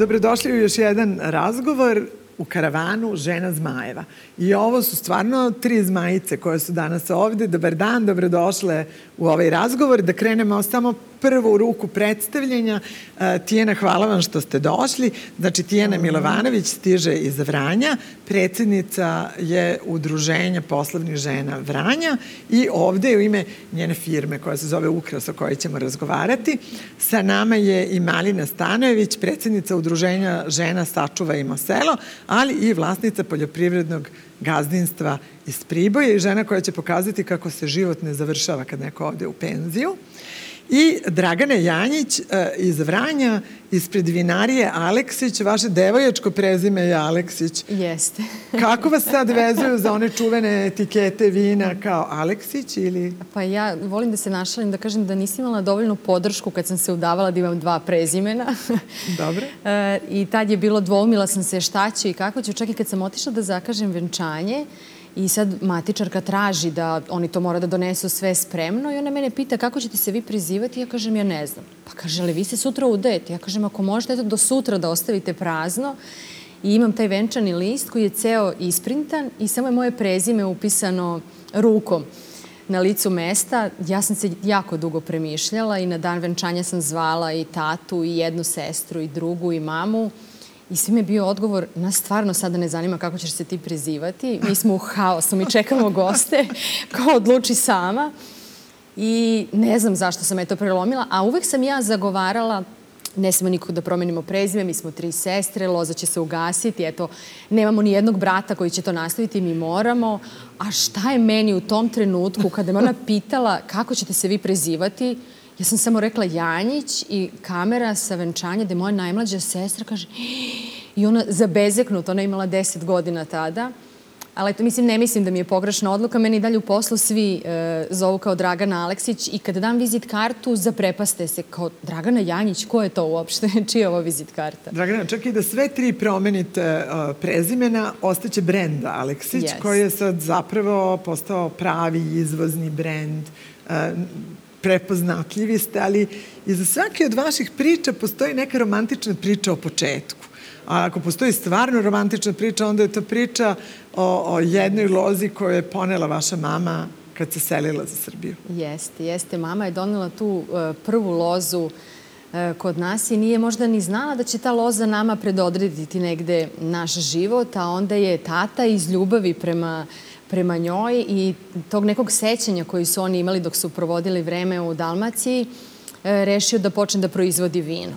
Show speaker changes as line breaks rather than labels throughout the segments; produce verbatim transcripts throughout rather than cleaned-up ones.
Dobrodošli u još jedan razgovor u karavanu Žena zmajeva. I ovo su stvarno tri zmajice koje su danas ovde. Dobar dan, dobrodošle u ovaj razgovor. Da krenemo samo prvu ruku predstavljenja. Tijana, hvala vam što ste došli. Znači, Tijana Milovanović stiže iz Vranja. Predsjednica je Udruženja poslovnih žena Vranja i ovde u ime njene firme koja se zove Ukras, o kojoj ćemo razgovarati. Sa nama je i Malina Stanojević, predsjednica Udruženja žena Sačuvajmo selo, ali i vlasnica poljoprivrednog gazdinstva iz Priboja i žena koja će pokazati kako se život ne završava kad neko ode u penziju. I Dragana Janjić iz Vranja, ispred vinarije Aleksić. Vaše devojačko prezime je Aleksić.
Jeste.
Kako vas sad vezuju za one čuvene etikete vina kao Aleksić ili...
Pa ja volim da se našalim, da kažem da nisam imala dovoljnu podršku kad sam se udavala da imam dva prezimena.
Dobro.
I tad je bilo, dvoumila sam se šta ću i kako ću. Čak i kad sam otišla da zakažem venčanje, i sad matičarka traži da oni to mora da donesu sve spremno i ona mene pita kako ćete se vi prizivati. Ja kažem, ja ne znam. Pa kaže, ali vi se sutra udajete. Ja kažem, ako možete eto do sutra da ostavite prazno. I imam taj venčani list koji je ceo isprintan i samo je moje prezime upisano rukom na licu mesta. Ja sam se jako dugo premišljala i na dan venčanja sam zvala i tatu i jednu sestru i drugu i mamu. I svi mi je bio odgovor, nas stvarno sada ne zanima kako ćeš se ti prizivati. Mi smo u haosu, mi čekamo goste, ko odluči sama. I ne znam zašto sam je to prelomila, a uvek sam ja zagovarala, ne smemo nikog da promenimo prezime, mi smo tri sestre, loza će se ugasiti, eto, nemamo ni jednog brata koji će to nastaviti, mi moramo. A šta je meni u tom trenutku, kada me ona pitala kako ćete se vi prezivati, ja sam samo rekla Janjić i kamera sa venčanja gde moja najmlađa sestra kaže i ona zabezeknuta, ona je imala deset godina tada, ali eto, mislim, ne mislim da mi je pogrešna odluka, meni i dalje u poslu svi e, zovu kao Dragana Aleksić i kada dam vizit kartu zaprepaste se kao Dragana Janjić, ko je to uopšte, čija je ovo vizit karta?
Dragana, čak i da sve tri promenite uh, prezimena, ostaće brend Aleksić,
Yes.
koji je sad zapravo postao pravi izvozni brend. Uh, prepoznatljivi ste, ali iza svake od vaših priča postoji neka romantična priča o početku. A ako postoji stvarno romantična priča, onda je to priča o, o jednoj lozi koju je ponela vaša mama kad se selila za Srbiju.
Jeste, jeste. Mama je donela tu uh, prvu lozu uh, kod nas i nije možda ni znala da će ta loza nama predodrediti negde naš život, a onda je tata iz ljubavi prema prema njoj i tog nekog sećanja koji su oni imali dok su provodili vreme u Dalmaciji, rešio da počne da proizvodi vino.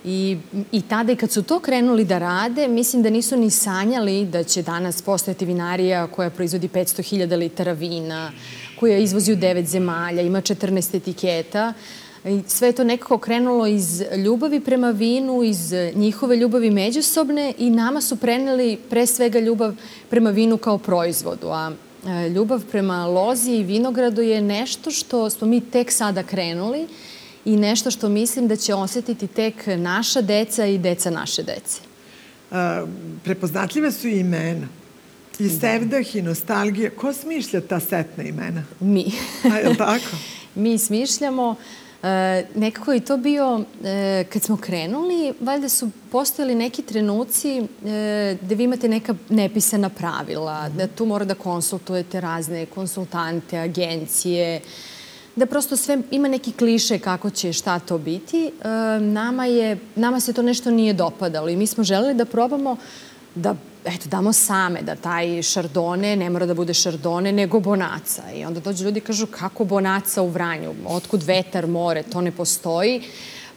I, i tada i kad su to krenuli da rade, mislim da nisu ni sanjali da će danas postojati vinarija koja proizvodi petsto hiljada litara vina, koja izvozi u devet zemalja, ima četrnaest etiketa. I sve je to nekako krenulo iz ljubavi prema vinu, iz njihove ljubavi međusobne i nama su preneli pre svega ljubav prema vinu kao proizvodu. A ljubav prema lozi i vinogradu je nešto što smo mi tek sada krenuli i nešto što mislim da će osetiti tek naša deca i deca naše dece.
A, prepoznatljive su i imena. I sevdah i nostalgija. Ko smišlja ta setna imena?
Mi.
A, je li tako?
Mi smišljamo. E, nekako je to bio, e, kad smo krenuli, valjda su postojali neki trenuci e, gde vi imate neka nepisana pravila, da tu mora da konsultujete razne konsultante, agencije, da prosto sve ima neki kliše kako će šta to biti. E, nama, je, nama se to nešto nije dopadalo i mi smo želeli da probamo da eto, damo same, da taj šardone ne mora da bude šardone, nego bonaca. I onda dođu ljudi i kažu, kako bonaca u Vranju? Otkud vetar, more? To ne postoji.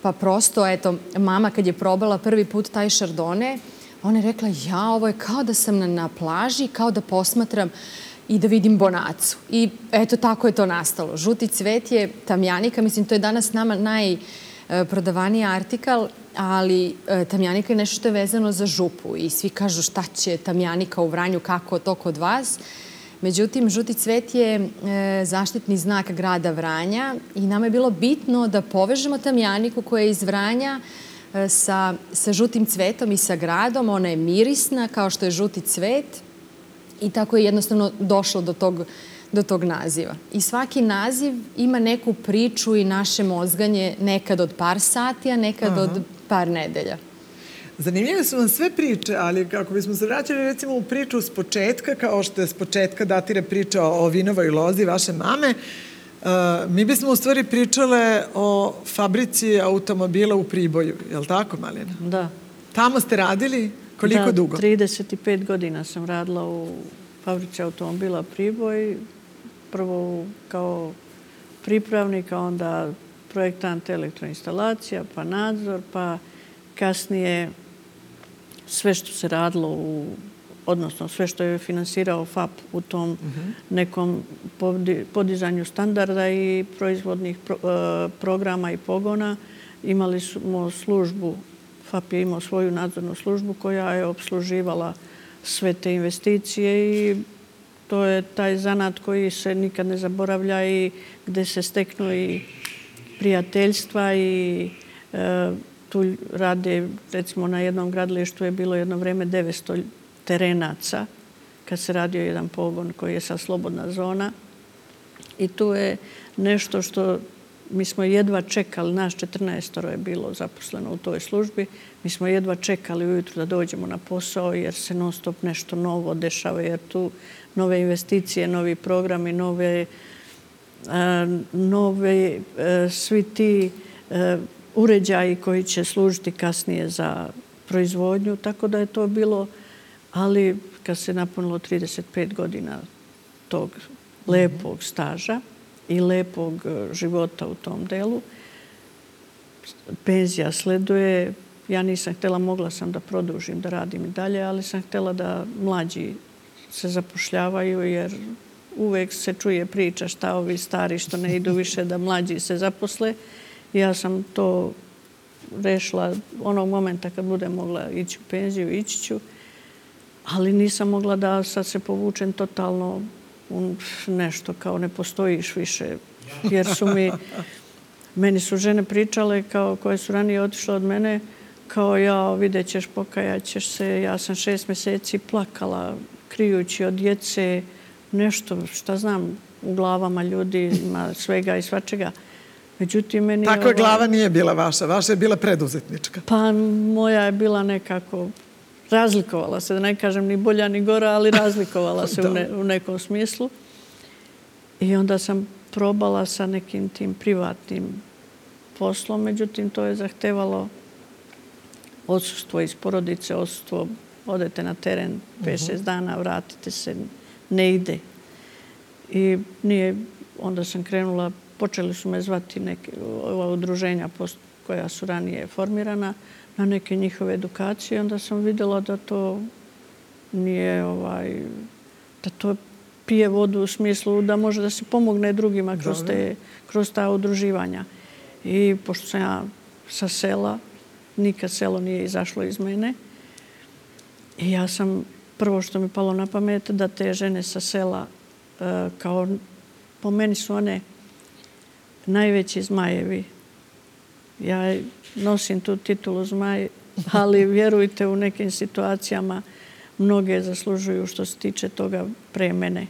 Pa prosto, eto, mama kad je probala prvi put taj šardone, ona je rekla, ja, ovo je kao da sam na, na plaži, kao da posmatram i da vidim bonacu. I eto, tako je to nastalo. Žuti cvet je tamjanika, mislim, to je danas nama najprodavaniji artikal, ali e, tamjanika je nešto što je vezano za župu i svi kažu šta će tamjanika u Vranju, kako to kod vas. Međutim, žuti cvet je e, zaštitni znak grada Vranja i nama je bilo bitno da povežemo tamjaniku koja je iz Vranja e, sa, sa žutim cvetom i sa gradom. Ona je mirisna kao što je žuti cvet i tako je jednostavno došlo do tog do tog naziva. I svaki naziv ima neku priču i naše mozganje nekad od par sati, a nekad Aha. od par nedelja.
Zanimljive su vam sve priče, ali kako bismo se vraćali recimo u priču s početka, kao što je s početka datira priča o vinovoj lozi vaše mame, uh, mi bismo u stvari pričale o fabrici automobila u Priboju, je li tako, Malina?
Da.
Tamo ste radili koliko
da,
dugo?
Da, trideset pet godina sam radila u fabrici automobila Priboj. Prvo kao pripravnik, a onda projektant elektroinstalacija, pa nadzor, pa kasnije sve što se radilo, u, odnosno sve što je finansirao F A P u tom uh-huh. nekom podizanju standarda i proizvodnih pro, uh, programa i pogona. Imali smo službu, F A P je imao svoju nadzornu službu koja je opsluživala sve te investicije i to je taj zanat koji se nikad ne zaboravlja i gde se steknu i prijateljstva i e, tu rade, recimo na jednom gradilištu je bilo jedno vreme devetsto terenaca kad se radio jedan pogon koji je sad slobodna zona i tu je nešto što mi smo jedva čekali, nas četrnaestoro je bilo zaposleno u toj službi, mi smo jedva čekali ujutru da dođemo na posao jer se non stop nešto novo dešava, jer tu nove investicije, novi programi, nove, nove svi ti uređaji koji će služiti kasnije za proizvodnju, tako da je to bilo, ali kad se napunilo trideset pet godina tog lepog staža i lepog života u tom delu, penzija sleduje. Ja nisam htjela, mogla sam da produžim, da radim i dalje, ali sam htjela da mlađi se zapošljavaju, jer uvek se čuje priča šta ovi stari što ne idu više da mlađi se zaposle. Ja sam to rešila onog momenta kad budem mogla ići u penziju, ići ću, ali nisam mogla da sad se povučem totalno u nešto kao ne postojiš više, jer su mi, meni su žene pričale kao koje su ranije otišle od mene, kao ja, vidjet ćeš, pokajat ćeš se, ja sam šest mjeseci plakala, krijući od djece, nešto, šta znam, u glavama ljudi ima svega i svačega. Međutim, meni
Takva
ovaj,
glava nije bila vaša, vaša je bila preduzetnička.
Pa moja je bila nekako, razlikovala se, da ne kažem ni bolja ni gora, ali razlikovala se u, ne, u nekom smislu. I onda sam probala sa nekim tim privatnim poslom, međutim, to je zahtevalo odsustvo iz porodice, odsustvo, odete na teren pet šest dana, vratite se, ne ide. I nije, onda sam krenula, počeli su me zvati neke, ova udruženja koja su ranije formirana, na neke njihove edukacije. Onda sam vidjela da to nije, ovaj, da to pije vodu u smislu da može da se pomogne drugima kroz, te, kroz ta udruživanja. I pošto sam ja sa sela, nikad selo nije izašlo iz mene, i ja sam, prvo što mi palo na pamet, da te žene sa sela, kao po meni su one najveći zmajevi. Ja nosim tu titulu zmaj, ali vjerujte, u nekim situacijama mnoge zaslužuju što se tiče toga pre mene.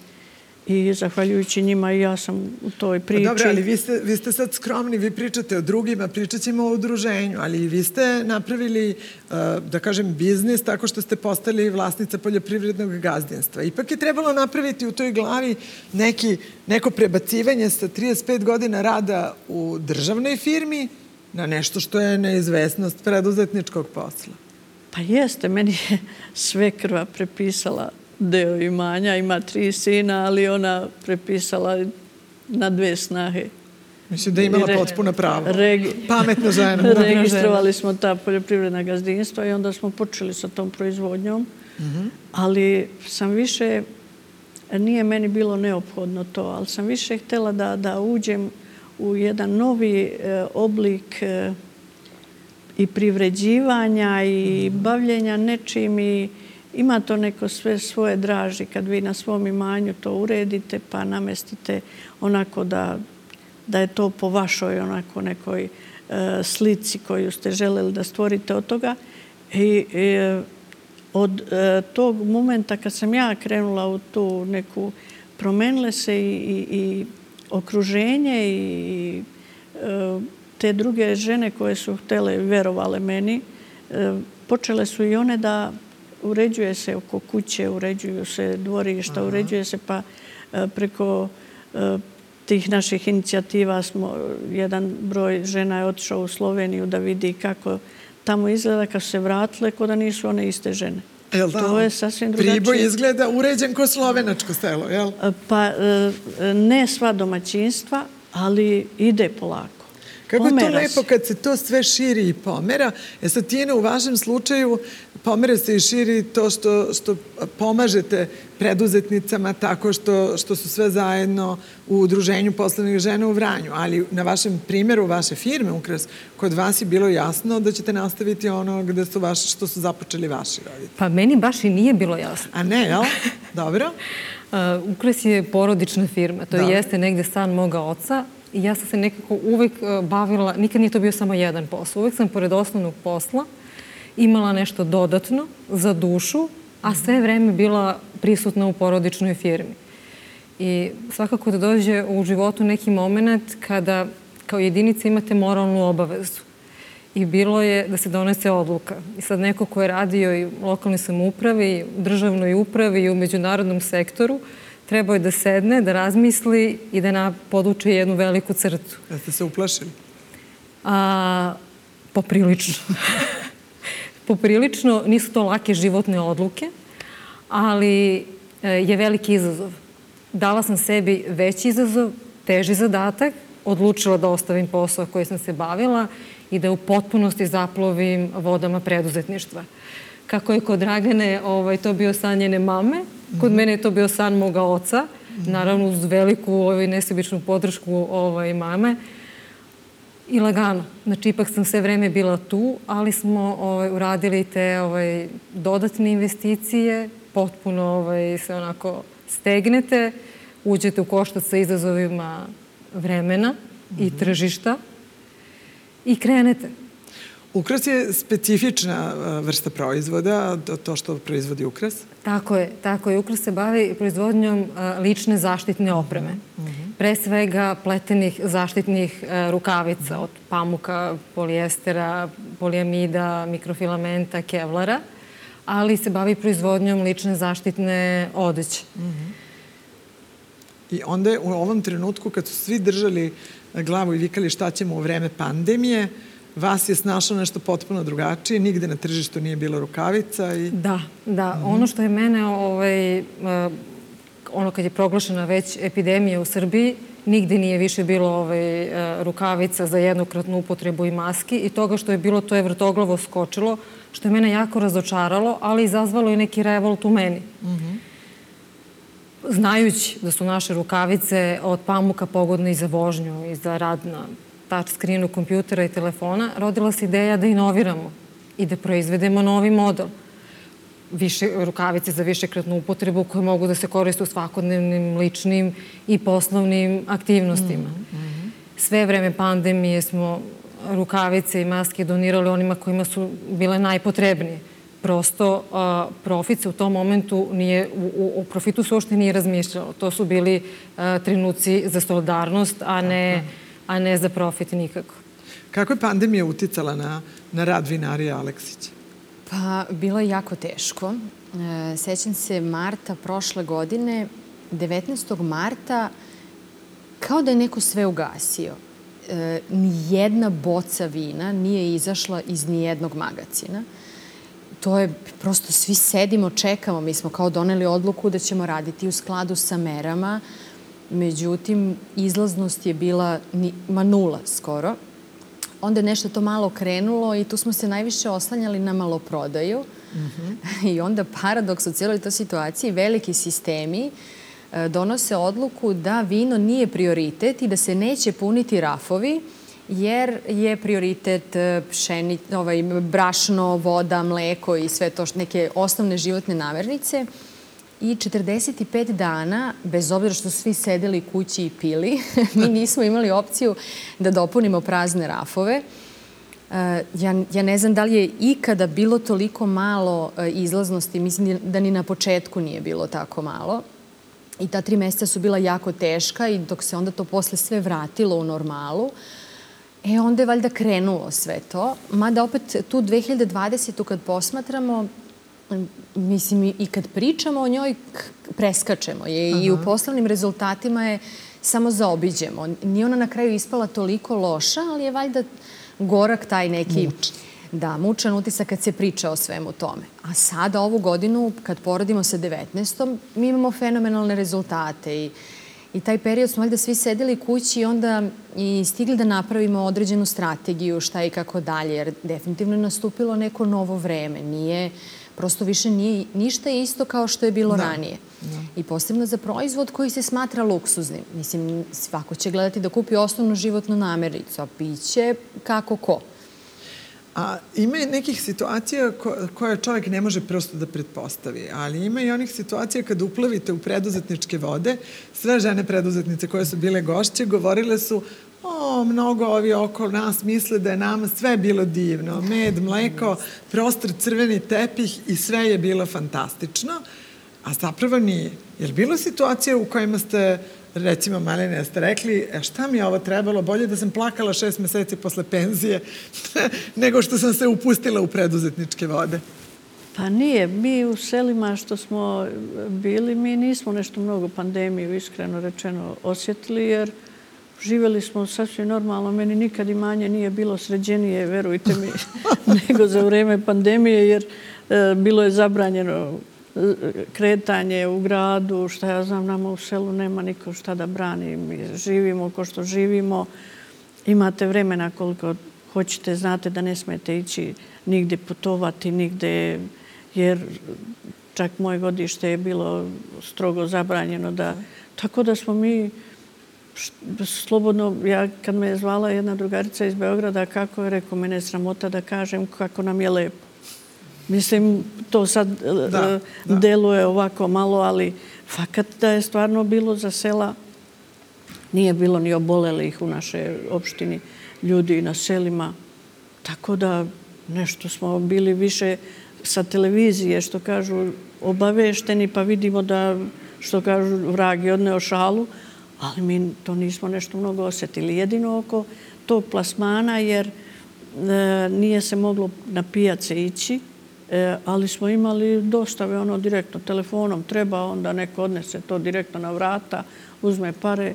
I zahvaljujući njima i ja sam u toj priči.
Pa dobro, ali vi ste, vi ste sad skromni, vi pričate o drugima, pričat ćemo o udruženju, ali vi ste napravili, da kažem, biznis tako što ste postali vlasnica poljoprivrednog gazdinstva. Ipak je trebalo napraviti u toj glavi neki, neko prebacivanje sa trideset pet godina rada u državnoj firmi na nešto što je neizvesnost preduzetničkog posla.
Pa jeste, meni je svekrva prepisala deo imanja, ima tri sina, ali ona prepisala na dve snahe.
Mislim da je imala potpuno pravo.
Regi...
Pametna žena.
Registrovali smo ta poljoprivredna gazdinstva i onda smo počeli sa tom proizvodnjom. Mm-hmm. Ali sam više, nije meni bilo neophodno to, ali sam više htjela da, da uđem u jedan novi e, oblik e, i privređivanja i mm-hmm. bavljenja nečim i ima to neko sve svoje draži kad vi na svom imanju to uredite pa namestite onako da, da je to po vašoj onako nekoj e, slici koju ste želeli da stvorite od toga. I e, od e, tog momenta kad sam ja krenula u tu neku, promenile se i, i, i okruženje i e, te druge žene koje su htjele, verovale meni, e, počele su i one da uređuje se oko kuće, uređuju se dvorišta, uređuje se pa preko tih naših inicijativa smo, jedan broj žena je otišao u Sloveniju da vidi kako tamo izgleda kad su se vratile, ko da nisu one iste žene.
Jel da?
To je sasvim drugačije.
Priboj izgleda uređen ko slovenačko selo, jel?
Pa ne sva domaćinstva, ali ide polako.
Kako je to lepo kad se to sve širi i pomera. E sad, Tijena, u vašem slučaju pomera se i širi to što, što pomažete preduzetnicama tako što, što su sve zajedno u Udruženju poslovnih žena u Vranju. Ali na vašem primjeru, vaše firme Ukras, kod vas je bilo jasno da ćete nastaviti ono gde su vaši, što su započeli vaši roditelji.
Pa meni baš i nije bilo jasno.
A ne, jel? Dobro.
Uh, Ukras je porodična firma. To jeste negde san moga oca. I ja sam se nekako uvek bavila, nikad nije to bio samo jedan posao. Uvek sam pored osnovnog posla imala nešto dodatno za dušu, a sve vreme bila prisutna u porodičnoj firmi. I svakako da dođe u životu neki moment kada kao jedinica imate moralnu obavezu. I bilo je da se donese odluka. I sad neko ko je radio i u lokalnoj samoupravi, i u državnoj upravi i u međunarodnom sektoru, trebao je da sedne, da razmisli i da poduče jednu veliku crtu.
Da ste se uplašili?
A, poprilično. Poprilično, nisu to lake životne odluke, ali je veliki izazov. Dala sam sebi veći izazov, teži zadatak, odlučila da ostavim posao koji sam se bavila i da u potpunosti zaplovim vodama preduzetništva. Kako je kod Dragane ovaj, to bio san njene mame, kod mene je to bio san moga oca, naravno uz veliku ovaj, nesebičnu podršku ovaj, mame. I lagano. Znači, ipak sam sve vreme bila tu, ali smo ovaj, uradili te ovaj, dodatne investicije, potpuno ovaj, se onako stegnete, uđete u koštac sa izazovima vremena i tržišta i krenete.
Ukras je specifična vrsta proizvoda, to što proizvodi Ukras?
Tako je, tako je. Ukras se bavi proizvodnjom lične zaštitne opreme. Pre svega pletenih zaštitnih rukavica od pamuka, polijestera, polijamida, mikrofilamenta, kevlara, ali se bavi proizvodnjom lične zaštitne odeće.
I onda je u ovom trenutku, kad su svi držali glavu i vikali šta ćemo u vreme pandemije, vas je snašlo nešto potpuno drugačije, nigde na tržištu nije bilo rukavica i...
Da, da. Ono što je mene, ovaj, ono kad je proglašena već epidemija u Srbiji, nigde nije više bilo ovaj, rukavica za jednokratnu upotrebu i maski i toga što je bilo, to je vrtoglavo skočilo, što je mene jako razočaralo, ali izazvalo i neki revolt u meni. Znajući da su naše rukavice od pamuka pogodne i za vožnju i za rad na touch screenu kompjutera i telefona, rodila se ideja da inoviramo i da proizvedemo novi model. Više, rukavice za višekratnu upotrebu koje mogu da se koriste u svakodnevnim, ličnim i poslovnim aktivnostima. Sve vreme pandemije smo rukavice i maske donirali onima kojima su bile najpotrebnije. Prosto a, profit se u tom momentu nije, u, u profitu se uopšte nije razmišljalo. To su bili a, trenuci za solidarnost, a ne, a ne za profit nikako.
Kako je pandemija uticala na, na rad vinarija Aleksića?
Pa, bilo je jako teško. E, sećam se marta prošle godine, devetnaestog marta, kao da je neko sve ugasio. E, nijedna boca vina nije izašla iz nijednog magacina. To je, prosto svi sedimo, čekamo. Mi smo kao doneli odluku da ćemo raditi u skladu sa merama. Međutim, izlaznost je bila ni, ma nula skoro. Onda je nešto to malo krenulo i tu smo se najviše oslanjali na maloprodaju. Mm-hmm. I onda paradoks u cijeloj toj situaciji, veliki sistemi e, donose odluku da vino nije prioritet i da se neće puniti rafovi, jer je prioritet pšeni, ovaj, brašno, voda, mleko i sve to neke osnovne životne namirnice. I četrdeset pet dana, bez obzira što su svi sedeli kući i pili, mi nismo imali opciju da dopunimo prazne rafove. Ja, ja ne znam da li je ikada bilo toliko malo izlaznosti, mislim da ni na početku nije bilo tako malo. I ta tri meseca su bila jako teška i dok se onda to posle sve vratilo u normalu, E, onda je valjda krenulo sve to. Mada opet tu dve hiljade dvadesete. kad posmatramo, mislim, i kad pričamo o njoj, preskačemo je. Aha. I u poslovnim rezultatima je samo zaobiđemo. Nije ona na kraju ispala toliko loša, ali je valjda gorak taj neki...
Mučan.
Da, mučan utisak kad se priča o svemu tome. A sada, ovu godinu, kad porodimo sa devetnaestom. mi imamo fenomenalne rezultate i I taj period smo valjda svi sedeli kući i onda i stigli da napravimo određenu strategiju, šta i kako dalje, jer definitivno je nastupilo neko novo vreme. Nije, prosto više nije, ništa je isto kao što je bilo da. ranije. Da. I posebno za proizvod koji se smatra luksuznim. Mislim, svako će gledati da kupi osnovnu životnu namirnicu, a piće kako ko.
A ima nekih situacija koje čovjek ne može prosto da pretpostavi, ali ima i onih situacija kada uplavite u preduzetničke vode. Sve žene preduzetnice koje su bile gošće govorile su: o, mnogo ovi oko nas misle da je nama sve bilo divno. Med, mleko, prostor, crveni tepih i sve je bilo fantastično. A zapravo nije. Je li bilo situacija u kojima ste, recimo, Maline, ste rekli: e, šta mi je ovo trebalo? Bolje da sam plakala šest meseci posle penzije nego što sam se upustila u preduzetničke vode?
Pa nije. Mi u selima što smo bili, mi nismo nešto mnogo pandemiju, iskreno rečeno, osjetili, jer živjeli smo sasvim normalno. Meni nikad imanje nije bilo sređenije, verujte mi, nego za vreme pandemije, jer e, bilo je zabranjeno kretanje u gradu, šta ja znam, nama u selu nema niko šta da brani. Mi živimo ko što živimo. Imate vremena koliko hoćete, znate da ne smete ići nigde putovati, nigde, jer čak moje godište je bilo strogo zabranjeno. Da, tako da smo mi slobodno, ja kad me je zvala jedna drugarica iz Beograda, kako je, rekao, mene je sramota da kažem kako nam je lepo. Mislim, to sad da, da. deluje ovako malo, ali fakat da je stvarno bilo za sela, nije bilo ni obolelih u našoj opštini ljudi na selima. Tako da nešto smo bili više sa televizije, što kažu, obavešteni, pa vidimo da, što kažu, vrag je odneo šalu, ali mi to nismo nešto mnogo osjetili. Jedino oko tog plasmana, jer e, nije se moglo na pijace ići, E, ali smo imali dostave ono direktno telefonom. Treba, onda neko odnese to direktno na vrata, uzme pare,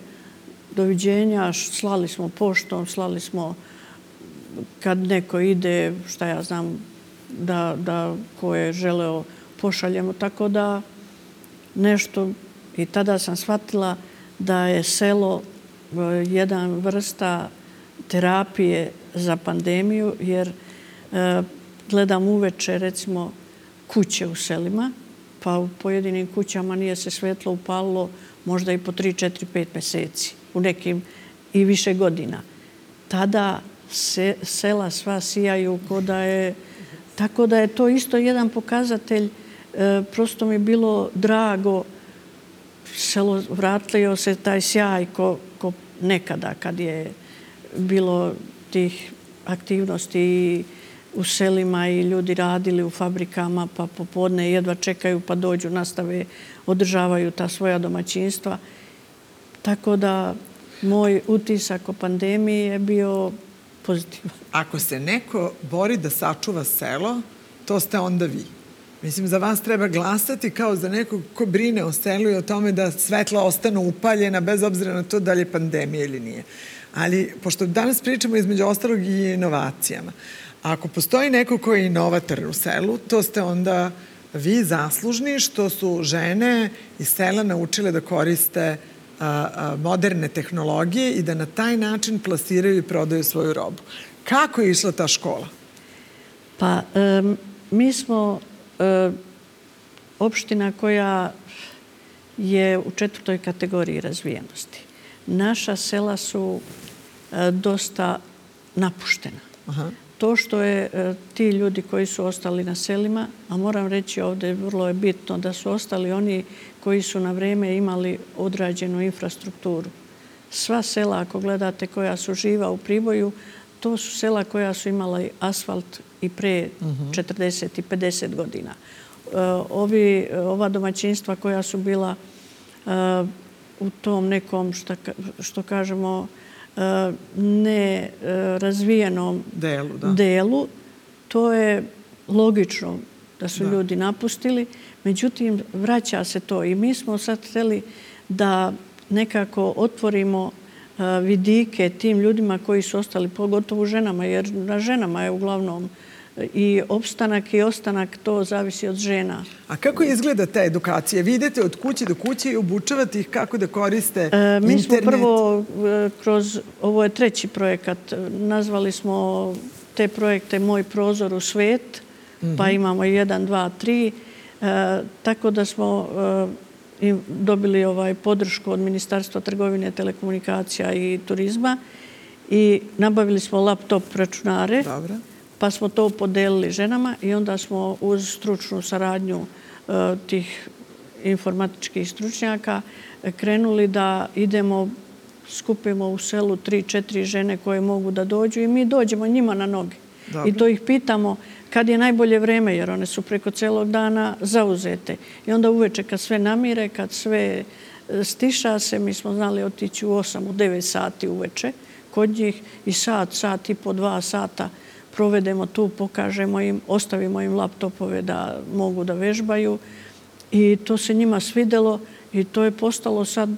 doviđenja, slali smo poštom, slali smo kad neko ide, šta ja znam, da, da ko je želeo pošaljemo. Tako da nešto, i tada sam shvatila da je selo jedan vrsta terapije za pandemiju, jer e, gledam uveče, recimo, kuće u selima, pa u pojedinim kućama nije se svetlo upalilo možda i po tri, četiri, pet meseci, u nekim i više godina. Tada se, sela sva sijaju ko da je... Tako da je to isto jedan pokazatelj. E, prosto mi je bilo drago, selo vratio se taj sjaj ko, ko nekada kad je bilo tih aktivnosti i u selima i ljudi radili u fabrikama, pa popodne jedva čekaju pa dođu, nastave, održavaju ta svoja domaćinstva. Tako da moj utisak o pandemiji je bio pozitivan.
Ako se neko bori da sačuva selo, to ste onda vi. Mislim, za vas treba glasati kao za nekog ko brine o selu i o tome da svetla ostanu upaljena, bez obzira na to da li je pandemija ili nije. Ali, pošto danas pričamo između ostalog i inovacijama, ako postoji neko koji je inovator u selu, to ste onda vi zaslužni što su žene iz sela naučile da koriste a, a, moderne tehnologije i da na taj način plasiraju i prodaju svoju robu. Kako je išla ta škola?
Pa, um, mi smo um, opština koja je u četvrtoj kategoriji razvijenosti. Naša sela su uh, dosta napuštena. Aha. To što je e, ti ljudi koji su ostali na selima, a moram reći ovdje vrlo je bitno da su ostali oni koji su na vrijeme imali odrađenu infrastrukturu. Sva sela, ako gledate, koja su živa u Priboju, to su sela koja su imala asfalt i pre uh-huh. četrdeset i pedeset godina. E, ovi, ova domaćinstva koja su bila e, u tom nekom, šta, što kažemo, ne razvijenom
delu, da.
delu, to je logično da su ljudi napustili. Međutim, vraća se to i mi smo sad htjeli da nekako otvorimo vidike tim ljudima koji su ostali, pogotovo ženama, jer na ženama je uglavnom i opstanak i ostanak, to zavisi od žena.
A kako izgleda ta edukacija? Vi idete od kuće do kuće i obučavate ih kako da koriste internet?
Mi smo prvo kroz, ovo je treći projekat, nazvali smo te projekte Moj prozor u svet, pa imamo jedan, dva, tri, tako da smo dobili ovaj podršku od Ministarstva trgovine, telekomunikacija i turizma i nabavili smo laptop računare.
Dobro.
Pa smo to podelili ženama i onda smo uz stručnu saradnju tih informatičkih stručnjaka krenuli da idemo, skupimo u selu tri, četiri žene koje mogu da dođu i mi dođemo njima na noge.
Dobro.
I to ih pitamo kad je najbolje vreme, jer one su preko celog dana zauzete. I onda uveče kad sve namire, kad sve stiša se, mi smo znali otići u osam, u devet sati uveče kod njih i sat, sat i po dva sata provedemo tu, pokažemo im, ostavimo im laptopove da mogu da vežbaju i to se njima svidelo i to je postalo sad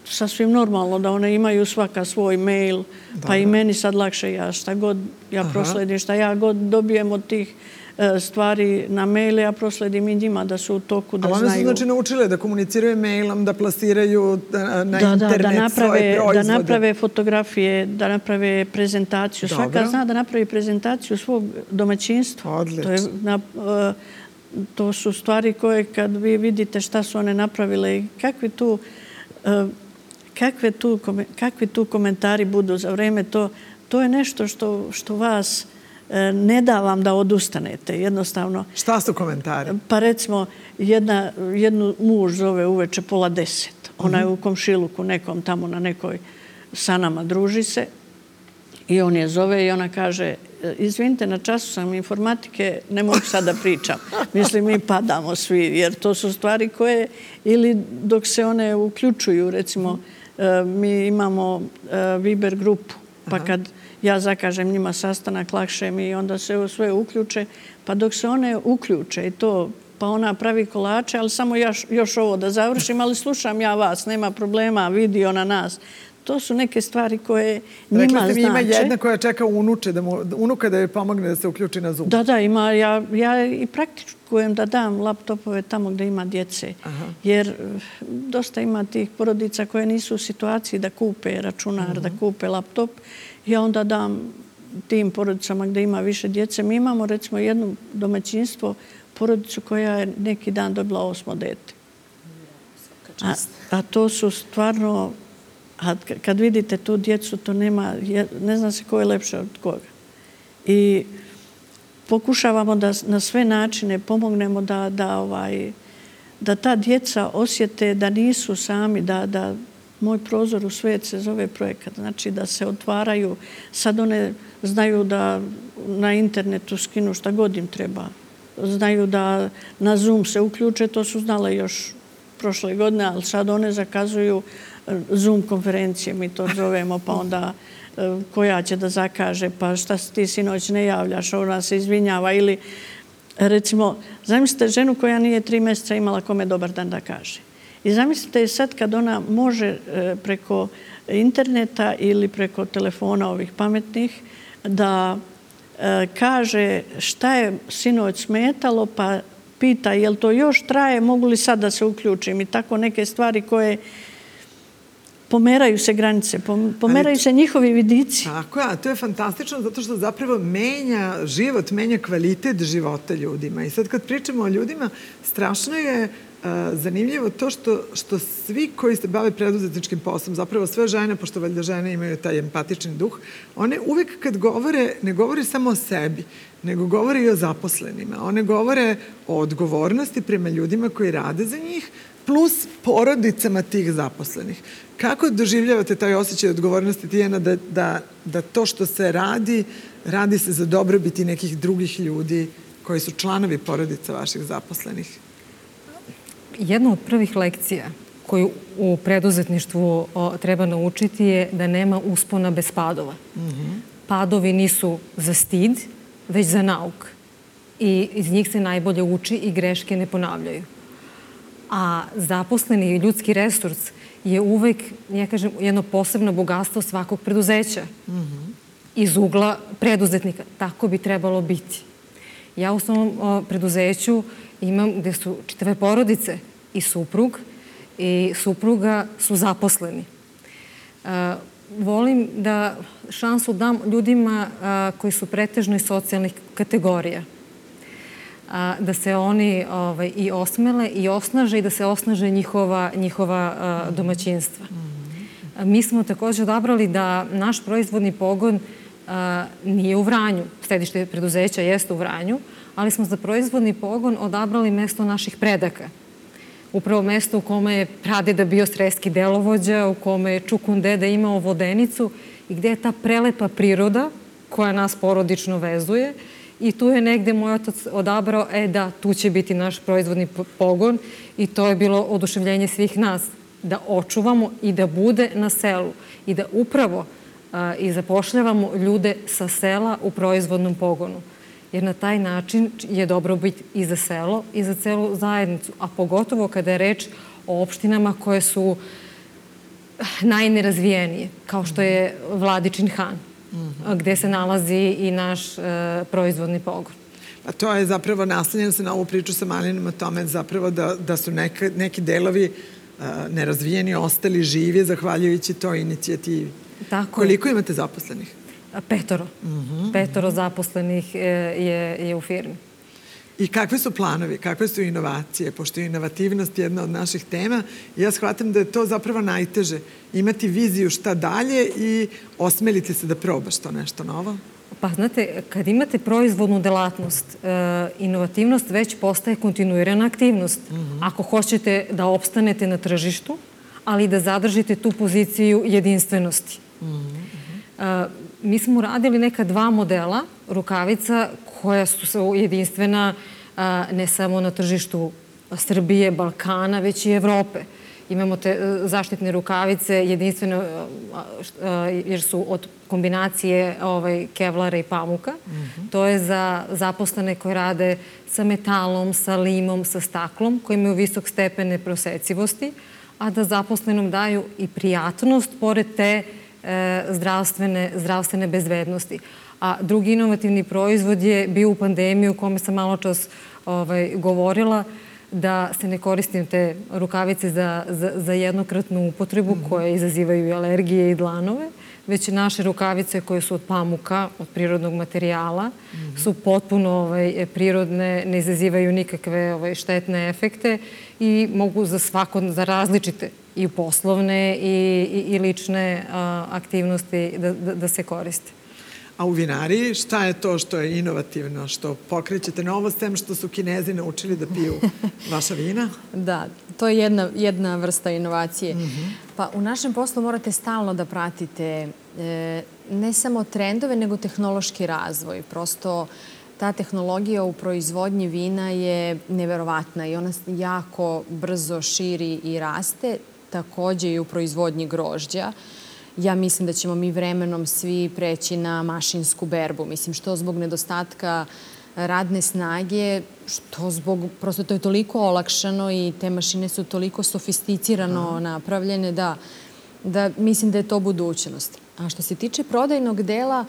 sasvim normalno da one imaju svaka svoj mail, pa i meni sad lakše, ja šta god ja prosledim, šta ja god dobijem od tih stvari na maile, ja prosledim i njima da su u toku, da znaju.
Ali one su znači naučile da komuniciraju mailom, da plasiraju na internet svoje proizvode.
Da naprave fotografije, da naprave prezentaciju. Svaka zna da napravi prezentaciju svog domaćinstva.
Odlično.
To su stvari koje kad vi vidite šta su one napravile i kakvi tu kakvi tu komentari budu za vreme, to je nešto što vas ne da vam da odustanete, jednostavno.
Šta su komentari?
Pa recimo, jednu muž zove uveče pola deset. Ona je u komšiluku nekom tamo na nekoj sanama, druži se i on je zove i ona kaže, izvinite, na času sam informatike, ne mogu sad da pričam. Mislim, mi padamo svi, jer to su stvari koje, ili dok se one uključuju, recimo, mi imamo Viber grupu, pa kad ja zakažem njima sastanak, lakše mi i onda se sve uključe, pa dok se one uključe i to, pa ona pravi kolače, ali samo još ovo da završim, ali slušam ja vas, nema problema, vidi ona nas. To su neke stvari koje njima znače.
Rekli ste mi ima jedna koja čeka unuka da joj pomogne da se uključi na Zoom.
Da, da, ima. Ja i praktikujem da dam laptopove tamo gde ima djece. Jer dosta ima tih porodica koje nisu u situaciji da kupe računar, da kupe laptop. Ja onda dam tim porodicama gde ima više djece. Mi imamo recimo jedno domaćinstvo, porodicu koja je neki dan dobila osmo dete. A to su stvarno... A kad vidite tu djecu, to nema, ne zna se ko je lepše od koga. I pokušavamo da na sve načine pomognemo da, da, ovaj, da ta djeca osjete da nisu sami, da, da Moj prozor u svet se zove projekat. Znači da se otvaraju, sad one znaju da na internetu skinu šta god im treba. Znaju da na Zoom se uključe, to su znale još prošle godine, ali sad one zakazuju Zoom konferencije, mi to zovemo, pa onda koja će da zakaže, pa šta ti sinoć ne javljaš, ona se izvinjava ili recimo, zamislite ženu koja nije tri mjeseca imala kome dobar dan da kaže. I zamislite sad kad ona može preko interneta ili preko telefona ovih pametnih da kaže šta je sinoć smetalo, pa pita jel to još traje, mogu li sad da se uključim i tako neke stvari koje pomeraju se granice, pomeraju se njihovi vidici.
Tako je, a to je fantastično zato što zapravo menja život, menja kvalitet života ljudima. I sad kad pričamo o ljudima, strašno je zanimljivo to što svi koji se bave preduzetničkim poslom, zapravo sve žene, pošto valjda žene imaju taj empatični duh, one uvijek kad govore, ne govore samo o sebi, nego govore i o zaposlenima. One govore o odgovornosti prema ljudima koji rade za njih, plus porodicama tih zaposlenih. Kako doživljavate taj osjećaj odgovornosti, Tijana, da to što se radi, radi se za dobrobiti nekih drugih ljudi koji su članovi porodica vaših zaposlenih?
Jedna od prvih lekcija koju u preduzetništvu treba naučiti je da nema uspona bez padova. padovi nisu za stid, već za nauk. I iz njih se najbolje uči i greške ne ponavljaju. A zaposleni ljudski resurs je uvek, ja kažem, jedno posebno bogatstvo svakog preduzeća. Mm-hmm. Iz ugla preduzetnika. Tako bi trebalo biti. Ja u svom o, preduzeću imam gde su čitave porodice i suprug i supruga su zaposleni. E, volim da šansu dam ljudima a, koji su pretežno iz socijalnih kategorija. A, da se oni ovaj, i osmele i osnaže i da se osnaže njihova, njihova a, domaćinstva. A, mi smo takođe odabrali da naš proizvodni pogon a, nije u Vranju. Sedište preduzeća jeste u Vranju, ali smo za proizvodni pogon odabrali mesto naših predaka. Upravo mesto u kome je pradeda bio sreski delovođa, u kome je Čukun deda imao vodenicu i gde je ta prelepa priroda koja nas porodično vezuje. I tu je negde moj otac odabrao, e da, tu će biti naš proizvodni pogon i to je bilo oduševljenje svih nas, da očuvamo i da bude na selu i da upravo a, i zapošljavamo ljude sa sela u proizvodnom pogonu. Jer na taj način je dobrobit i za selo i za celu zajednicu, a pogotovo kada je reč o opštinama koje su najnerazvijenije, kao što je Vladičin Han. Mm-hmm. Gde se nalazi i naš e, proizvodni pogon.
A to je zapravo naslonjeno se na ovu priču sa Malinom o tome zapravo da, da su neka, neki delovi e, nerazvijeni ostali živi zahvaljujući toj inicijativi.
Tako
Koliko je. Imate zaposlenih?
Petoro. Mm-hmm. Petoro zaposlenih je, je u firmi.
I kakve su planovi, kakve su inovacije, pošto je inovativnost jedna od naših tema. Ja shvatam da je to zapravo najteže. Imati viziju šta dalje i osmeliti se da probaš to nešto novo.
Pa znate, kad imate proizvodnu delatnost, inovativnost već postaje kontinuirana aktivnost. Mm-hmm. Ako hoćete da opstanete na tržištu, ali da zadržite tu poziciju jedinstvenosti. Mm-hmm. Mi smo radili neka dva modela rukavica koja su jedinstvena ne samo na tržištu Srbije, Balkana, već i Evrope. Imamo te zaštitne rukavice jedinstveno jer su od kombinacije ovaj, kevlara i pamuka. Mm-hmm. To je za zaposlene koji rade sa metalom, sa limom, sa staklom, koji imaju visok stepen neprosecivosti, a da zaposlenom daju i prijatnost pored te e, zdravstvene, zdravstvene bezbednosti. A drugi inovativni proizvod je bio u pandemiji u kome sam malo čas ovaj, govorila da se ne koristim te rukavice za, za, za jednokratnu upotrebu mm-hmm. koje izazivaju i alergije i dlanove, već naše rukavice koje su od pamuka, od prirodnog materijala, mm-hmm. su potpuno ovaj, prirodne, ne izazivaju nikakve ovaj, štetne efekte i mogu za svako, za različite i poslovne i, i, i lične a, aktivnosti da, da, da se koriste.
A u vinariji šta je to što je inovativno, što pokrećete novo, s tem što su Kinezi naučili da piju vaša vina?
Da, to je jedna, jedna vrsta inovacije. Mm-hmm. Pa u našem poslu morate stalno da pratite e, ne samo trendove, nego tehnološki razvoj. Prosto ta tehnologija u proizvodnji vina je neverovatna i ona jako brzo širi i raste, takođe i u proizvodnji grožđa. Ja mislim da ćemo mi vremenom svi preći na mašinsku berbu. Mislim, što zbog nedostatka radne snage, što zbog, prosto to je toliko olakšano i te mašine su toliko sofisticirano napravljene da, da mislim da je to budućnost. A što se tiče prodajnog dela,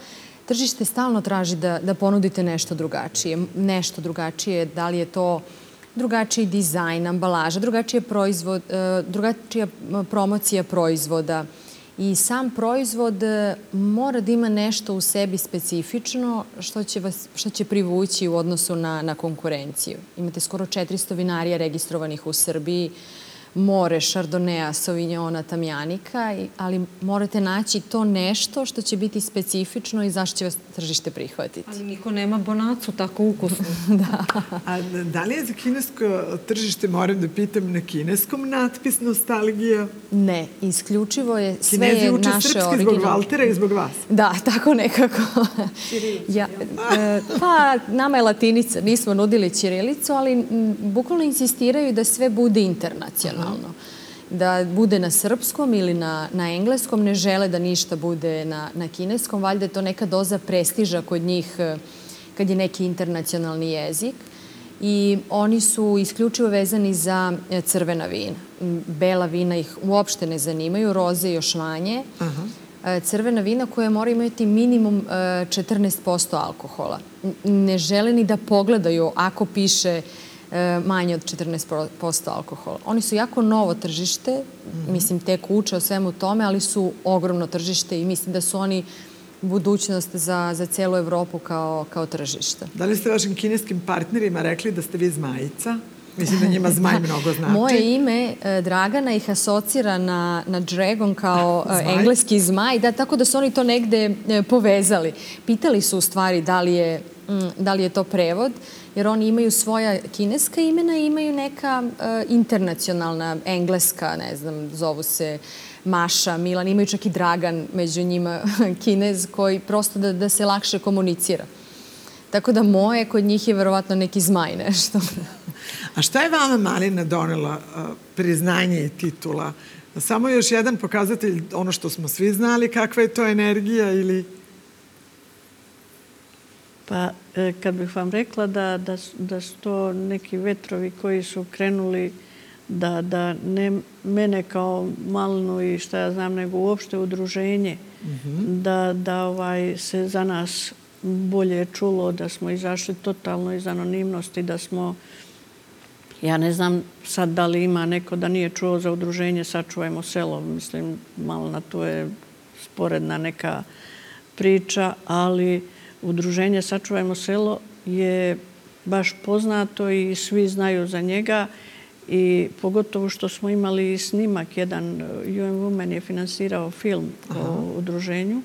tržište stalno traži da, da ponudite nešto drugačije. Nešto drugačije, da li je to drugačiji dizajn, ambalaža, drugačije proizvod, drugačija promocija proizvoda. I sam proizvod mora da ima nešto u sebi specifično što će, vas, što će privući u odnosu na, na konkurenciju. Imate skoro četiristo vinarija registrovanih u Srbiji, more Šardonea, Sauvignona, Tamjanika, ali morate naći to nešto što će biti specifično i zašto će vas tržište prihvatiti.
Ali niko nema bonacu tako ukusno.
Da.
A da li je za kinesko tržište, moram da pitam, na kineskom natpis nostalgija?
Ne, isključivo je sve
Kinezi
je
uče
naše
srpski
originalno.
zbog Valtera i zbog vas.
Da, tako nekako. Ja, e, pa, nama je latinica, nismo nudili ćirilicu, ali m, bukvalno insistiraju da sve bude internacionalno. da bude na srpskom ili na, na engleskom, ne žele da ništa bude na, na kineskom. Valjda je to neka doza prestiža kod njih kad je neki internacionalni jezik. I oni su isključivo vezani za crvena vina. Bela vina ih uopšte ne zanimaju, roze još manje. Aha. Crvena vina koja mora imati minimum četrnaest posto alkohola. Ne žele ni da pogledaju ako piše manje od četrnaest posto alkohola. Oni su jako novo tržište, mm-hmm. mislim tek uče o svemu tome, ali su ogromno tržište i mislim da su oni budućnost za, za celu Evropu kao, kao tržište.
Da li ste vašim kineskim partnerima rekli da ste vi zmajica? Mislim da njima zmaj mnogo znači.
Moje ime Dragana ih asocira na, na dragon kao zmaj? Engleski zmaj, da, tako da su oni to negde povezali. Pitali su u stvari da li je, da li je to prevod, jer oni imaju svoja kineska imena i imaju neka uh, internacionalna, engleska, ne znam, zovu se Maša, Milan, imaju čak i Dragan među njima Kinez koji prosto da, da se lakše komunicira. Tako da moje kod njih je verovatno neki zmaj nešto.
A šta je vama Malina donela uh, priznanje i titula? Samo još jedan pokazatelj, ono što smo svi znali, kakva je to energija ili...
Pa, kad bih vam rekla da, da, da su to neki vetrovi koji su krenuli da, da ne mene kao Malinu i šta ja znam, nego uopšte udruženje, mm-hmm. da, da ovaj, se za nas bolje čulo, da smo izašli totalno iz anonimnosti, da smo, ja ne znam sad da li ima neko da nije čuo za udruženje Sačuvajmo selo, mislim, malo na to je sporedna neka priča, ali udruženje Sačuvajmo selo je baš poznato i svi znaju za njega i pogotovo što smo imali snimak, jedan U N Women je finansirao film Aha. o udruženju,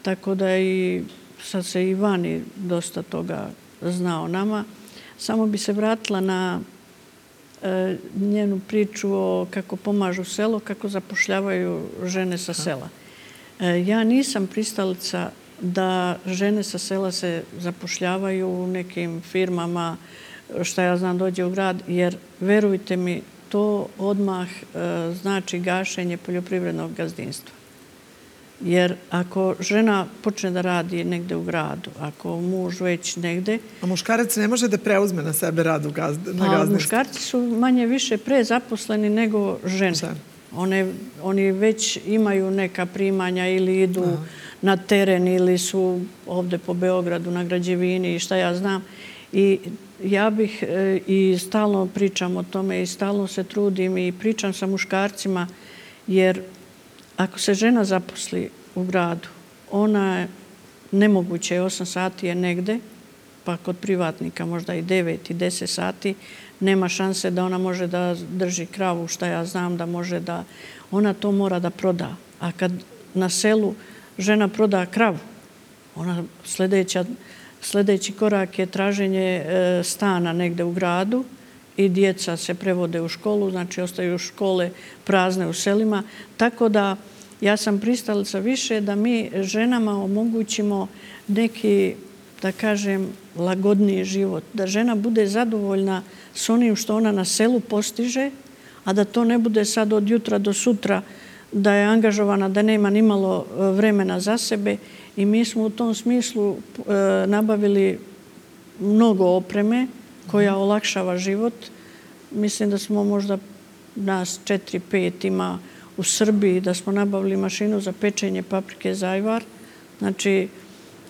tako da i sad se i vani dosta toga zna o nama. Samo bi se vratila na e, njenu priču o kako pomažu selo, kako zapošljavaju žene sa sela. E, ja nisam pristalica da žene sa sela se zapošljavaju u nekim firmama, šta ja znam, dođe u grad, jer verujte mi, to odmah e, znači gašenje poljoprivrednog gazdinstva. Jer ako žena počne da radi negde u gradu, ako muž već negde...
A muškarac ne može da preuzme na sebe rad u gazd, na gazdinstvu?
A muškarci su manje više prezaposleni nego žene. One, oni već imaju neka primanja ili idu Aha. na teren ili su ovde po Beogradu na građevini i šta ja znam. I ja bih e, i stalno pričam o tome i stalno se trudim i pričam sa muškarcima, jer ako se žena zaposli u gradu, ona je nemoguće je osam sati je negde, pa kod privatnika možda i devet i deset sati, nema šanse da ona može da drži kravu, šta ja znam, da može da... Ona to mora da proda. A kad na selu žena proda kravu, ona sljedeća, sljedeći korak je traženje e, stana negde u gradu i djeca se prevode u školu, znači ostaju škole prazne u selima. Tako da ja sam pristalica više da mi ženama omogućimo neki, da kažem, lagodniji život. Da žena bude zadovoljna s onim što ona na selu postiže, a da to ne bude sad od jutra do sutra da je angažovana, da nema ni malo vremena za sebe. I mi smo u tom smislu e, nabavili mnogo opreme koja olakšava život. Mislim da smo možda nas četiri, pet ima u Srbiji, da smo nabavili mašinu za pečenje paprike Zajvar. Znači,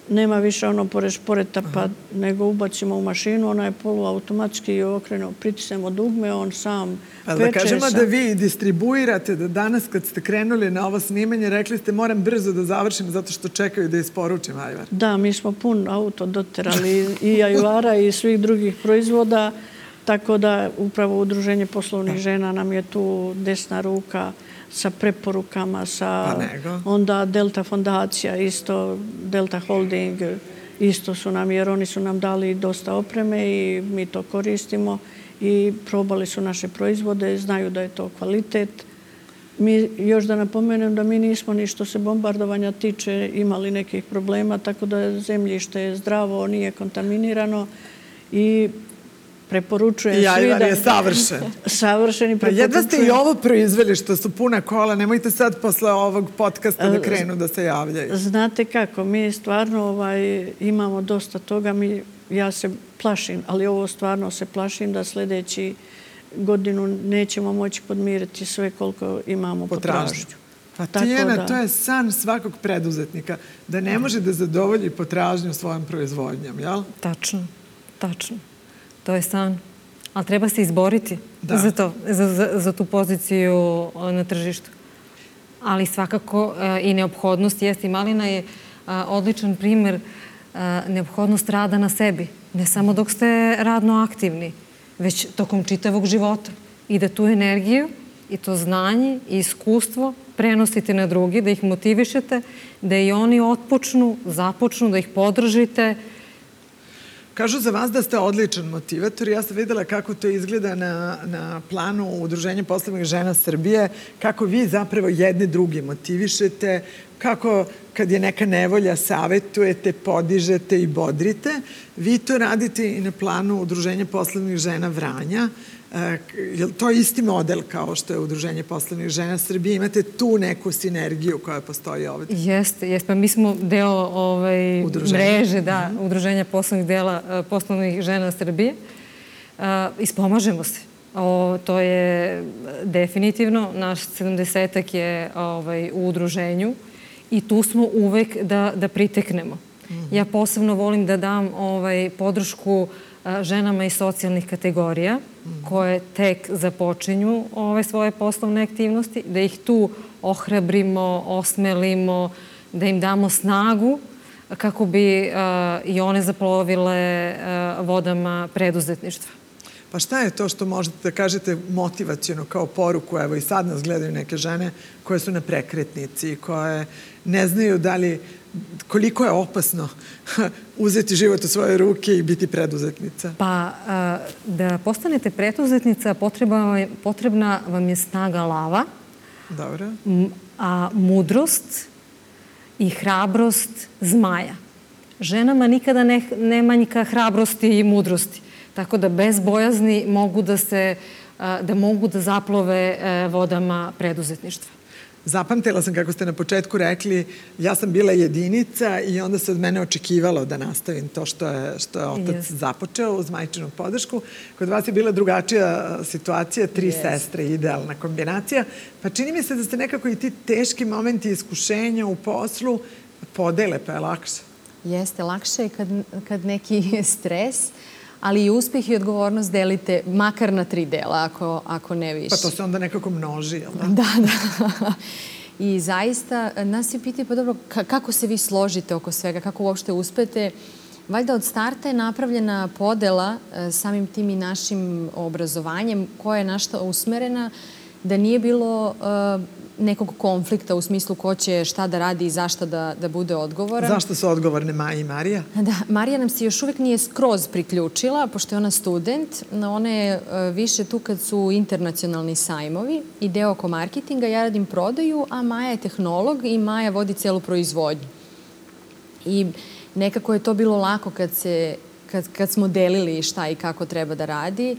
nema više ono pored šporeta, pa nego ubacimo u mašinu, ona je poluautomatski okrenu, pritisnemo dugme, on sam
ali
peče.
Da kažemo sam... da vi distribuirate, da danas kad ste krenuli na ovo snimanje, rekli ste moram brzo da završim zato što čekaju da isporučim ajvar.
Da, mi smo pun auto doterali i ajvara i svih drugih proizvoda, tako da upravo Udruženje poslovnih žena nam je tu desna ruka sa preporukama, sa onda Delta fondacija, isto Delta Holding, isto su nam, jer oni su nam dali dosta opreme i mi to koristimo i probali su naše proizvode, znaju da je to kvalitet. Mi, još da napomenem da mi nismo ni što se bombardovanja tiče imali nekih problema, tako da zemljište je zdravo, nije kontaminirano i preporučujem
I
svi
ajvar
da...
je savršen.
Savršen i
Pa
preporučujem.
jedva ste i ovo proizveli što su puna kola, nemojte sad posle ovog podcasta da krenu da se javljaju.
Znate kako, mi stvarno ovaj, imamo dosta toga, mi, ja se plašim, ali ovo stvarno se plašim da sljedeći godinu nećemo moći podmiriti sve koliko imamo potražnju.
Pa Tijana, to je san svakog preduzetnika, da ne može da zadovolji potražnju svojom proizvodnjom, jel?
Tačno, tačno. To je san. Ali treba se izboriti za to, za tu poziciju na tržištu. Ali svakako i neophodnost jeste. I malina je odličan primer neophodnost rada na sebi. Ne samo dok ste radno aktivni, već tokom čitavog života. I da tu energiju i to znanje i iskustvo prenosite na drugi, da ih motivišete, da i oni otpočnu, započnu, da ih podržite.
Kažu za vas da ste odličan motivator. Ja sam videla kako to izgleda na, na planu Udruženja poslovnih žena Srbije, kako vi zapravo jedne druge motivišete, kako kad je neka nevolja savetujete, podižete i bodrite. Vi to radite i na planu Udruženja poslovnih žena Vranja. Je li to isti model kao što je Udruženje poslovnih žena Srbije? Imate tu neku sinergiju koja postoji ovdje?
Jeste, jeste. Pa mi smo deo ovaj, mreže, da, Udruženja poslovnih dela poslovnih žena Srbije. Ispomažemo se. O, to je definitivno. Naš sedamdesetak je ovaj, u udruženju i tu smo uvek da, da priteknemo. Mm-hmm. Ja posebno volim da dam ovaj, podršku ženama iz socijalnih kategorija koje tek započinju ove svoje poslovne aktivnosti, da ih tu ohrabrimo, osmelimo, da im damo snagu kako bi i one zaplovile vodama preduzetništva.
Pa šta je to što možete da kažete motivaciono kao poruku? Evo i sad nas gledaju neke žene koje su na prekretnici, koje ne znaju da li koliko je opasno uzeti život u svoje ruke i biti preduzetnica?
Pa, da postanete preduzetnica, potrebna vam je snaga lava,
dobro,
a mudrost i hrabrost zmaja. Ženama nikada ne, ne manjka hrabrosti i mudrosti, tako da bez bojazni mogu da se, da mogu da zaplove vodama preduzetništva.
Zapamtila sam kako ste na početku rekli, ja sam bila jedinica i onda se od mene očekivalo da nastavim to što je, što je otac yes. započeo uz majčinu podršku. Kod vas je bila drugačija situacija, tri yes. sestre, idealna kombinacija. Pa čini mi se da ste nekako i ti teški momenti iskušenja u poslu podele, pa je lakše.
Jeste, lakše je kad, kad neki stres, ali i uspjeh i odgovornost delite makar na tri dela, ako, ako ne više.
Pa to se onda nekako množi, jel da?
Da, da. I zaista, nas se pitaju, pa dobro, kako se vi složite oko svega, kako uopšte uspete? Valjda od starta je napravljena podela samim tim i našim obrazovanjem, koja je našta usmerena, da nije bilo uh, nekog konflikta u smislu ko će šta da radi i zašto da, da bude odgovoran.
Zašto su odgovorne Maja i Marija?
Da, Marija nam se još uvijek nije skroz priključila, pošto je ona student. Ona je uh, više tu kad su internacionalni sajmovi i deo oko marketinga. Ja radim prodaju, a Maja je tehnolog i Maja vodi celu proizvodnju. I nekako je to bilo lako kad, se, kad, kad smo delili šta i kako treba da radi.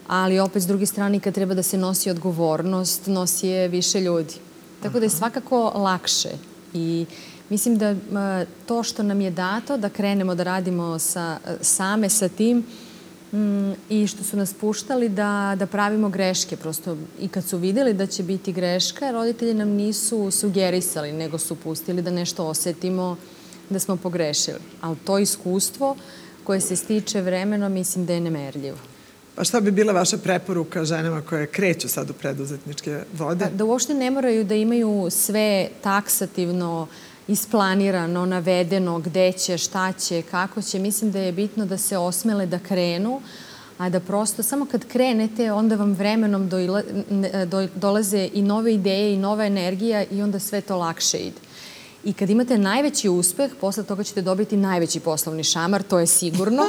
Ali opet s druge strane kad treba da se nosi odgovornost, nosi je više ljudi. Tako da je svakako lakše. I mislim da to što nam je dato, da krenemo da radimo sa, same sa tim mm, i što su nas puštali da, da pravimo greške. Prosto i kad su videli da će biti greška, roditelji nam nisu sugerisali, nego su pustili da nešto osetimo da smo pogrešili. Ali to iskustvo koje se stiče vremenom, mislim da je nemerljivo.
Pa šta bi bila vaša preporuka ženama koje kreću sad u preduzetničke vode?
Da uopšte ne moraju da imaju sve taksativno isplanirano, navedeno, gde će, šta će, kako će. Mislim da je bitno da se osmele da krenu, a da prosto samo kad krenete, onda vam vremenom dojla, do, dolaze i nove ideje i nova energija i onda sve to lakše ide. I kad imate najveći uspeh, posle toga ćete dobiti najveći poslovni šamar, to je sigurno.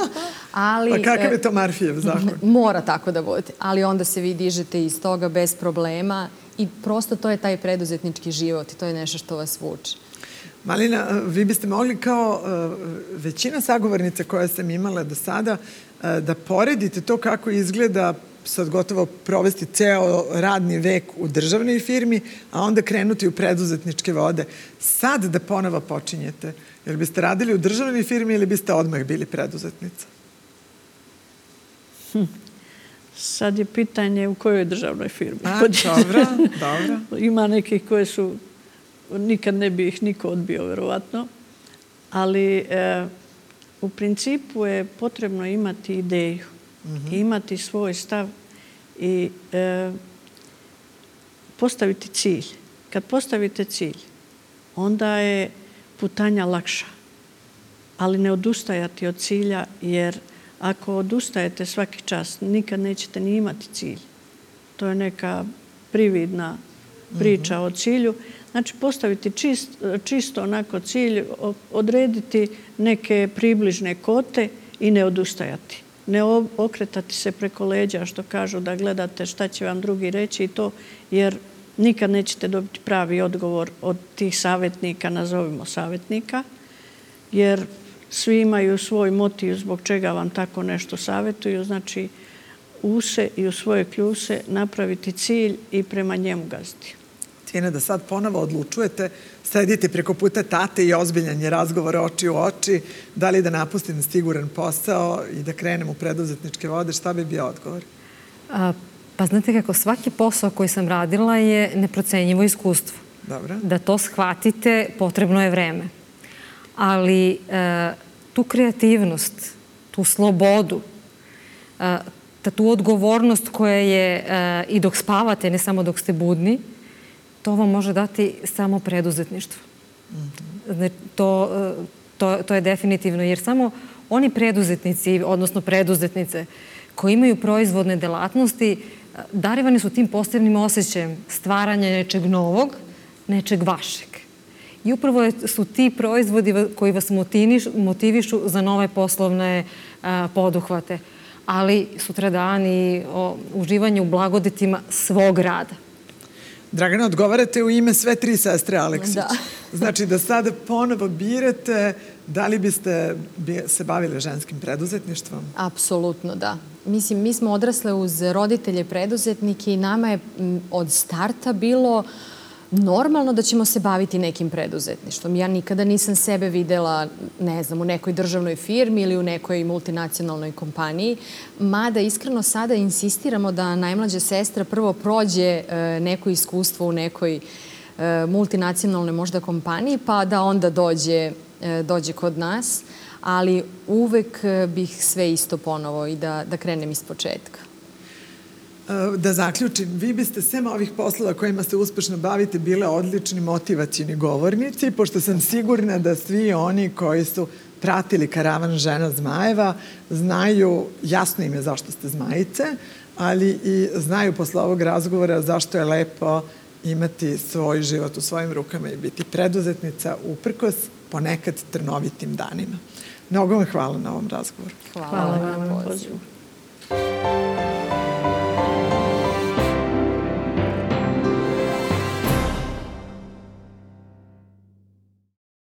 Ali,
pa kakav je to Marfijev zakon?
Mora tako da bude. Ali onda se vi dižete iz toga bez problema i prosto to je taj preduzetnički život i to je nešto što vas vuče.
Malina, vi biste mogli kao većina sagovornica koje sam imala do sada da poredite to kako izgleda sad gotovo provesti ceo radni vek u državnoj firmi, a onda krenuti u preduzetničke vode. Sad da ponovo počinjete, jer biste radili u državnoj firmi ili biste odmah bili preduzetnica?
Hm. Sad je pitanje u kojoj državnoj firmi.
A, dobro, dobro.
Ima nekih koje su, nikad ne bi ih niko odbio, verovatno, ali e, u principu je potrebno imati ideju, mm-hmm. imati svoj stav i e, postaviti cilj. Kad postavite cilj, onda je putanja lakša, ali ne odustajati od cilja, jer ako odustajete svaki čas, nikad nećete ni imati cilj. To je neka prividna priča mm-hmm. o cilju. Znači, postaviti čist, čisto onako cilj, odrediti neke približne kote i ne odustajati. Ne okretati se preko leđa, što kažu, da gledate šta će vam drugi reći i to, jer nikad nećete dobiti pravi odgovor od tih savjetnika, nazovimo savjetnika, jer svi imaju svoj motiv zbog čega vam tako nešto savjetuju. Znači, u se i u svoje kljuse napraviti cilj i prema njemu gaziti.
Tina, da sad ponovo odlučujete, sedite preko puta tate i ozbiljan je razgovor oči u oči, da li da napustim siguran posao i da krenem u preduzetničke vode, šta bi bio odgovor?
A, pa znate kako, svaki posao koji sam radila je neprocenjivo iskustvo.
Dobro. Da
to shvatite, potrebno je vreme. Ali e, tu kreativnost, tu slobodu, e, tu odgovornost koja je e, i dok spavate, ne samo dok ste budni, to vam može dati samo preduzetništvo. Mm-hmm. To, to, to je definitivno, jer samo oni preduzetnici, odnosno preduzetnice, koji imaju proizvodne delatnosti, darivani su tim posebnim osjećajem stvaranja nečeg novog, nečeg vašeg. I upravo su ti proizvodi koji vas motivišu za nove poslovne a, poduhvate. Ali sutradan i o uživanje u blagodetima svog rada.
Dragana, odgovarate u ime sve tri sestre Aleksić.
Da.
Znači da sada ponovo birate da li biste se bavili ženskim preduzetništvom?
Apsolutno, da. Mislim, mi smo odrasle uz roditelje preduzetnike i nama je od starta bilo normalno da ćemo se baviti nekim preduzetništvom. Ja nikada nisam sebe videla, ne znam, u nekoj državnoj firmi ili u nekoj multinacionalnoj kompaniji, mada iskreno sada insistiramo da najmlađa sestra prvo prođe neko iskustvo u nekoj multinacionalnoj možda kompaniji, pa da onda dođe, dođe kod nas, ali uvek bih sve isto ponovo i da, da krenem iz početka.
Da zaključim, vi biste sem ovih poslova kojima se uspešno bavite bile odlični motivacioni govornici, pošto sam sigurna da svi oni koji su pratili karavan Žena Zmajeva znaju, jasno im je zašto ste zmajice, ali i znaju posle ovog razgovora zašto je lepo imati svoj život u svojim rukama i biti preduzetnica uprkos ponekad trnovitim danima. Mnogo vam hvala na ovom razgovoru.
Hvala, hvala vam na pozivu.